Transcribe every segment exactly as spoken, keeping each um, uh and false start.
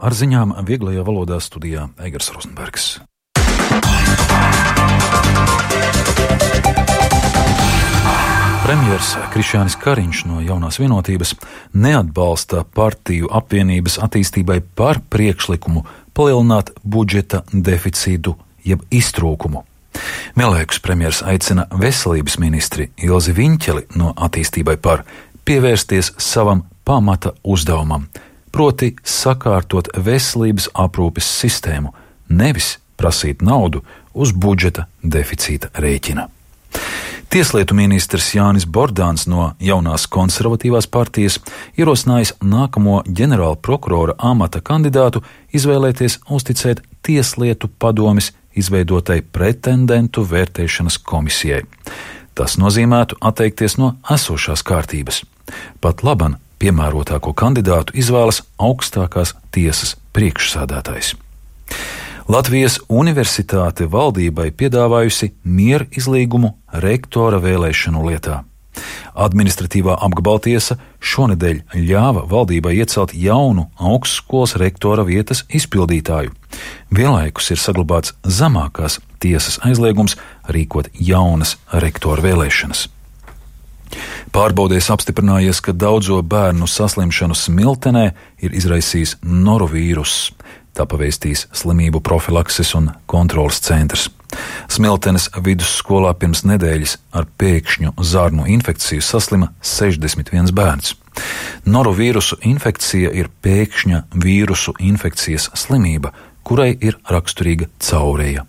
Ar ziņām vieglajā valodā studijā Eigars Rozenbergs. Premjers Krišjānis Kariņš no Jaunās Vienotības neatbalsta partiju apvienības attīstībai par priekšlikumu palielināt budžeta deficītu jeb iztrūkumu. Vienlaikus premjers aicina veselības ministri Ilzi Viņķeli no attīstībai par pievērsties savam pamata uzdevumam, proti sakārtot veselības aprūpes sistēmu, nevis prasīt naudu uz budžeta deficīta rēķina. Tieslietu ministrs Jānis Bordāns no Jaunās konservatīvās partijas ierosinājis nākamo ģenerāla prokurora amata kandidātu izvēlēties uzticēt Tieslietu padomes izveidotai pretendentu vērtēšanas komisijai. Tas nozīmētu atteikties no esošās kārtības. Pat laban piemērotāko kandidātu izvēlas augstākās tiesas priekšsādātājs. Latvijas Universitāte valdībai piedāvājusi mieru izlīgumu rektora vēlēšanu lietā. Administratīvā apgabaltiesa šonedēļ ļāva valdībai iecelt jaunu augstskolas rektora vietas izpildītāju. Vienlaikus ir saglabāts zemākās tiesas aizliegums rīkot jaunas rektora vēlēšanas. Pārbaudēs apstiprinājies, ka daudzo bērnu saslimšanu Smiltenē ir izraisījis norovīruss. Tā pavēstīs slimību profilakses un kontrolas centrs. Smiltenes vidusskolā pirms nedēļas ar pēkšņu zarnu infekciju saslima sešdesmit viens bērns. Norovīrusu infekcija ir pēkšņa vīrusu infekcijas slimība, kurai ir raksturīga caureja.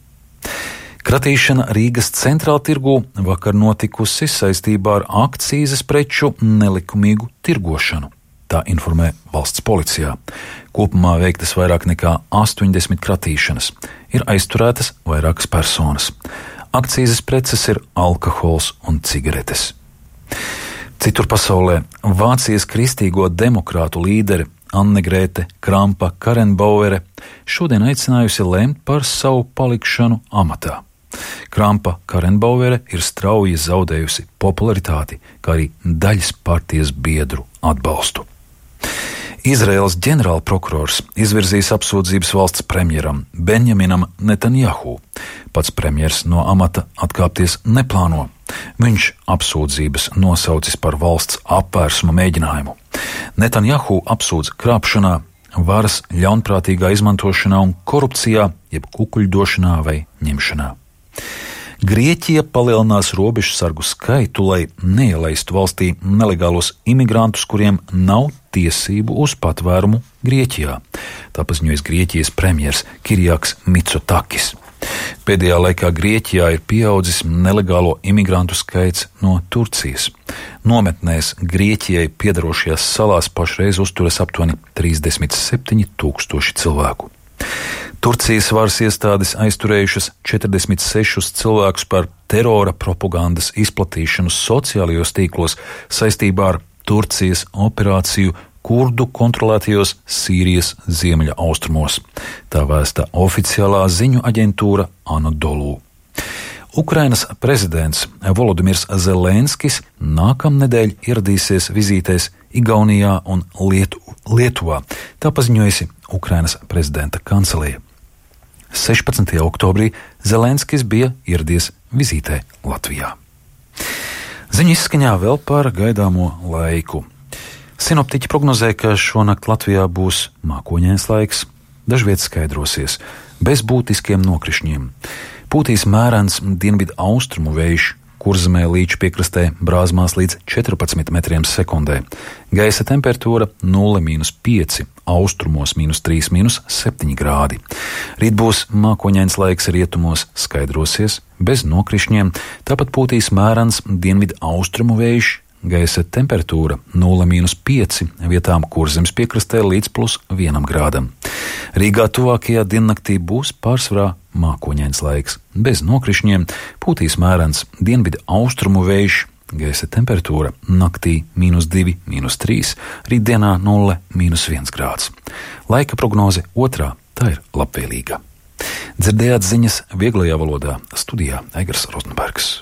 Kratīšana Rīgas centrāla tirgū vakar notikusi saistībā ar akcīzes preču nelikumīgu tirgošanu. Tā informē valsts policijā. Kopumā veiktas vairāk nekā astoņdesmit kratīšanas. Ir aizturētas vairākas personas. Akcīzes preces ir alkohols un cigaretes. Citur pasaulē Vācijas kristīgo demokrātu līderi Annegrēte Krampa-Karrenbauere šodien aicinājusi lemt par savu palikšanu amatā. Krampa-Karrenbauere ir strauji zaudējusi popularitāti, kā arī daļas partijas biedru atbalstu. Izraēlas ģenerālprokurors izvirzīs apsūdzības valsts premjeram Benjaminam Netanjahu. Pats premjers no amata atkāpties neplāno. Viņš apsūdzības nosaucis par valsts apvērsuma mēģinājumu. Netanjahu apsūdz krāpšanā, varas ļaunprātīgā izmantošanā un korupcijā, jeb kukuļdošanā vai ņemšanā. Grieķija palielinās robežsargu skaitu, lai neielaistu valstī nelegālos imigrantus, kuriem nav tiesību uz patvērumu Grieķijā. Tā paziņojas Grieķijas premjers Kirijaks Mitsotakis. Pēdējā laikā Grieķijā ir pieaudzis nelegālo imigrantu skaits no Turcijas. Nometnēs Grieķijai piedarošajās salās pašreiz uzturas aptuveni trīsdesmit septiņi tūkstoši cilvēku. Turcijas varas iestādes aizturējušas četrdesmit sešus cilvēkus par terora propagandas izplatīšanu sociālajos tīklos saistībā ar Turcijas operāciju kurdu kontrolētajos Sīrijas ziemeļa austrumos. Tā vēsta oficiālā ziņu aģentūra Anadolu. Ukrainas prezidents Volodimirs Zelenskis nākamnedēļ ieradīsies vizītēs Igaunijā un Lietu, Lietuvā. Tā paziņojusi Ukrainas prezidenta kancelēja. sešpadsmitajā oktobrī Zelenskis bija ieradies vizītē Latvijā. Ziņu izskaņā vēl par gaidāmo laiku. Sinoptiķi prognozē, ka šonakt Latvijā būs mākoņains laiks, dažviet skaidrosies, bez būtiskiem nokrišņiem. Pūtīs mērens dienvidu austrumu vējš, Kurzemē līča piekrastē brāzmās līdz četrpadsmit metriem sekundē. Gaisa temperatūra nulle mīnus pieci, austrumos mīnus trīs mīnus septiņi grādi. Rīt būs mākoņains laiks, rietumos skaidrosies, bez nokrišņiem, tāpat pūtīs mērens dienvidu austrumu vējš, gaisa temperatūra nulle mīnus pieci, vietām Kurzemes piekrastē līdz plus vienam grādam. Rīgā tuvākajā diennaktī būs pārsvarā mākoņains laiks, bez nokrišņiem, pūtīs mērens dienvidu austrumu vējš, gaisa temperatūra naktī mīnus divi, mīnus trīs, rītdienā nulle, mīnus viens grāds. Laika prognoze otrā, tā ir labvēlīga. Dzirdējāt ziņas vieglajā valodā, studijā Eigars Rozenbergs.